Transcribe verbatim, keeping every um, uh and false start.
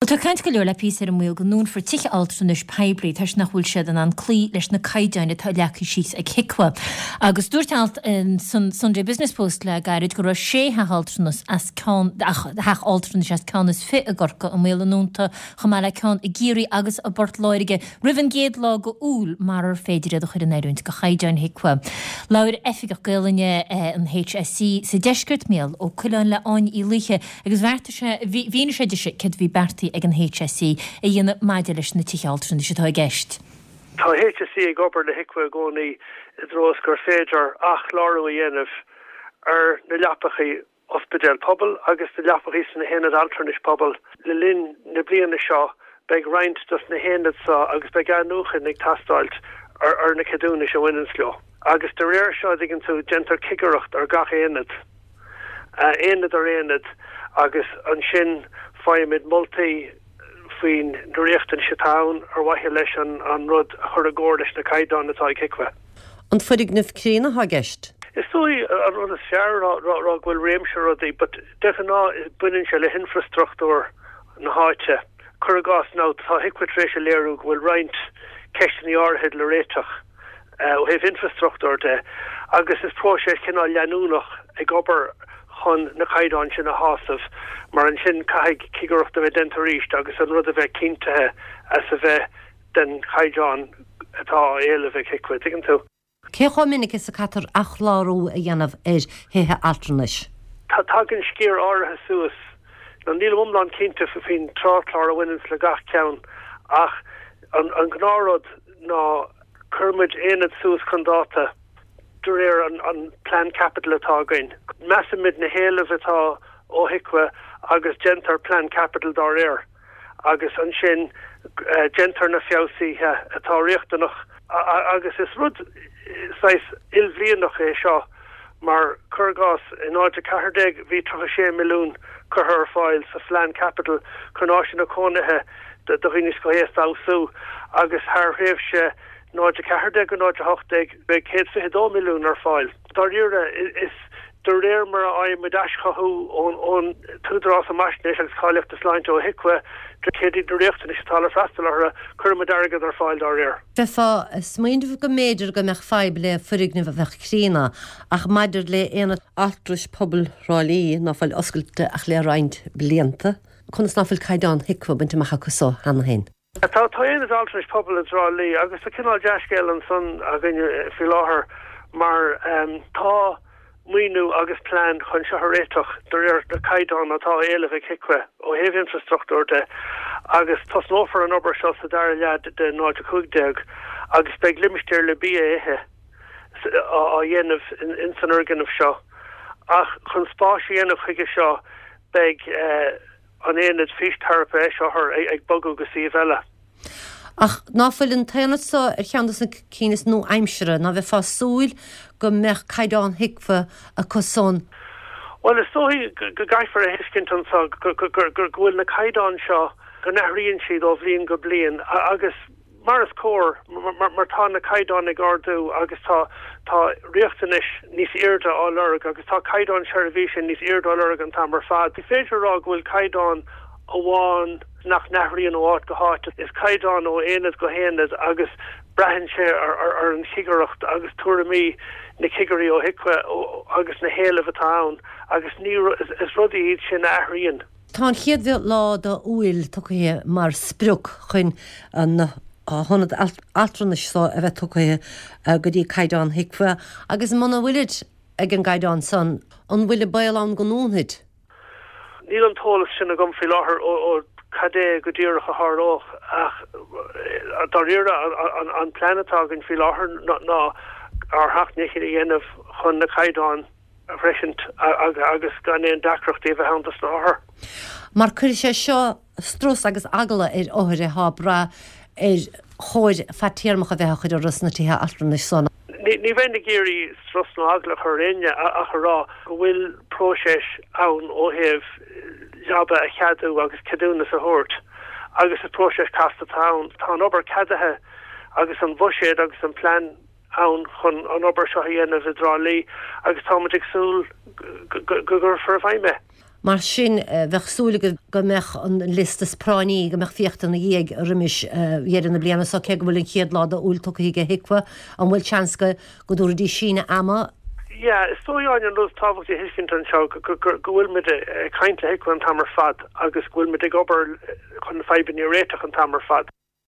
Tá caint go leor le píosa ar an mbaol go ndúnfar tithe altranais poiblí toisc nach bhfuil siad in ann cloí leis na caighdeáin atá leagtha síos ag HIQA. Agus dúirt alt in san Sunday Business Post le gairid go raibh sé theach altranais as ceann theach altranais as ceann is fiche i gCorcaigh i mbaol a ndúnta chomh maith le ceann i gCiarraí agus i bPort Láirge roimh an gcéad lá d'Iúil murar féidir iad a chur in oiriúint do chaighdeáin HIQA. Labhair Oifigeach Gaelainne an HSE sa deisceart Mícheál Ó Coileáin le Áine Uí Laoithe agus bheartaigh sé mhínigh sé di céard a bhí beartaithe ag an HSE a dhéanamh maidir leis na tithe altranais atá i gceist. Tá HSE ag obair le HIQA i gcónaí i dtreo is gur féidir athchlárú a dhéanamh ar na leapachaí ospidéal pobail agus na leapachaí sna haonaid altranais pobail. Le linn na bliana seo beidh roinnt dos na haonaid seo agus beidh athnuachan ag teastáil ar ar na ceadúnais a bhaineann leo. Agus de réir seo digann tú déantar cigireacht ar gach aonad. aonad ar aonad agus ansin faighimid moltaí faoin na riachtanais atá ann ar mhaithe leis an an rud a chur i gcomhar leis na caighdeáin atá ag HIQA. An foirgneamh críonna atá i gceist? Is dóigh an rud is fearr rá go bhfuil réimse rudaí, but de ghnáth baineann sé le hinfrastruchtúr na háite. Cuir i gcás now tá HIQA tar éis a léiriú go bhfuil roinnt ceisteanna áirithe le réiteach ó thaobh infrastruchtúr de agus is próiseas cineál leanúnach ag obair chun na caighdeáin sin a shásamh mar ansin caithfidh cigireacht a bheith déanta arís agus an rud a bheith cinntithe as a bheith den chaighdeán atá á éileamh ag HIQA tuigeann tú. Cé chomh minic is a caithfear athchlárú a dhéanamh ar thithe altranais? Tá tagann sciar áirithe suas nó níl iomlán cinnte faoin tráthchlár a bhaineann le gach ceann ach an, an gnáthrud ná cuirimid aonad suas chun dáta de réir an, an plean caipitil atá againn. Measaimid na héilimh atá ó HIQA agus déantar plean caipitil dá réir agus ansin déantar na feabhsuithe atá riachtanach agus is rud saghas ilbhlianach é seo mar cuir i gcás in náid a ceathair déag bhí tríocha sé milliún curtha ar fáil sa phlean caipitil chun áiseanna cónaithe do dhaoine scothaosta a fheabhsú agus thar thréimhse náid a ceathair déag go náid a hocht déag beidh céad fiche dó milliún ar fáil. Dáiríre is de réir mar a fhaighimid aischothú ón ón tÚdarás um Fhaisnéis agus Cáilíochta Sláinte ó HIQA céard iad na riachtanais atá le freastal orthu, cuirimid airgead ar fáil dá réir. Bheifeá ag smaoineamh go mb'fhéidir go mbeadh fadhb le foirgneamh a bheadh críonna ach maidir le aonad altranais pobail Thrá Lí ná fuil oscailte ach le roinnt blianta, conas ná fuil caighdeán HIQA bainte amach acu so cheana féin. Tá tá aonad altranais pobail i dTrá Lí agus tá cineál dea-scéal ansan againn faoi láthair mar tá maoiniú agus plean chun seo a réiteach de réir na caighdeán atá á éileamh ag HIQA ó thaobh infrastruchtúr de agus tosnófar an obair seo sa dara leath de náid a cúig déag agus beidh limistéar le bia a ithe á dhéanamh in san fhoirgneamh seo ach chun spáis a dhéanamh chuige seo beidh an aonad físteiripe eis-othar ag bogadh go suíomh eile. Ach ná fuil an t-aonad seo ar cheann de na cinn is nua-aimseartha, ná bheifeá ag súil go mbeadh caighdeán HIQA acu san? Bhuel, is dóigh go gcaithfear a thuiscint anseo go bhfuil na caighdeáin seo, go n-athraíonn siad ó bhliain go bliain agus mar is cóir, mar tá na caighdeáin ag ardú agus tá tá riachtanais níos airde á lorg agus tá caighdeán seirbhíse níos airde á lorg an t-am ar fad. Ní féidir a rá go bhfuil caighdeán amháin nach n-athraíonn ó áit go háit. Is caighdeán ó aonad go haonad agus braitheann sé ar, ar, ar an chigireacht agus tuairimí na cigirí ó HIQA agus na héilimh atá ann agus ní is, is rudaí iad sin a athraíonn. Tá an chéad lá d'Iúil tugtha mar sprioc chun an hionad altranais seo a bheith tugtha go dtí caighdeán HIQA agus muna bhfuilid ag an gcaighdeán san, an bhfuil an baol ann go ndúnfaid? Níl an t-eolas sin agam faoi láthair ó cad é go díreach a tharlódh ach dáiríre an, an plean atá againn faoi láthair ná ár seacht ndícheall a dhéanamh chun na caighdeáin a shroichint agus gan aon deacrachtaí a bheith ann dos na hothair. Mar cuirfidh sé seo strus agus eagla ar othair atá ag brath ar chóir fadtéarmach a bheith á chur orthu sna tithe altranais san. Ní, ní bheinn ag iarraidh strus nó eagla a chur ar éinne ach a rá go bhfuil próiseas ann ó thaobh leaba a cheadú agus ceadúnas a thabhairt agus is próiseas casta atá ann. Tá an obair ceadaithe agus an buiséad agus an plean ann chun an obair seo a dhéanamh i dTrá Lí agus táimid ag súil go gcuirfear i bhfeidhm é. Mar sin, bheadh súil agaibh go mbeadh an liosta is práinní, go mbeadh féachta ina dhiaidh roimis dheireadh na bliana seo, cé go bhfuil an chéad lá d'Iúil tugtha ag HIQA. An bhfuil seans go dtabharfaidís síneadh ama? Yeah, is dóigh Áine an rud is tábhachtaí a thuiscint anseo go bhfuil muid ag caint le HIQA an t-am ar fad agus go bhfuil muid ag obair chun na fadhbanna a réiteach an t-am ar fad.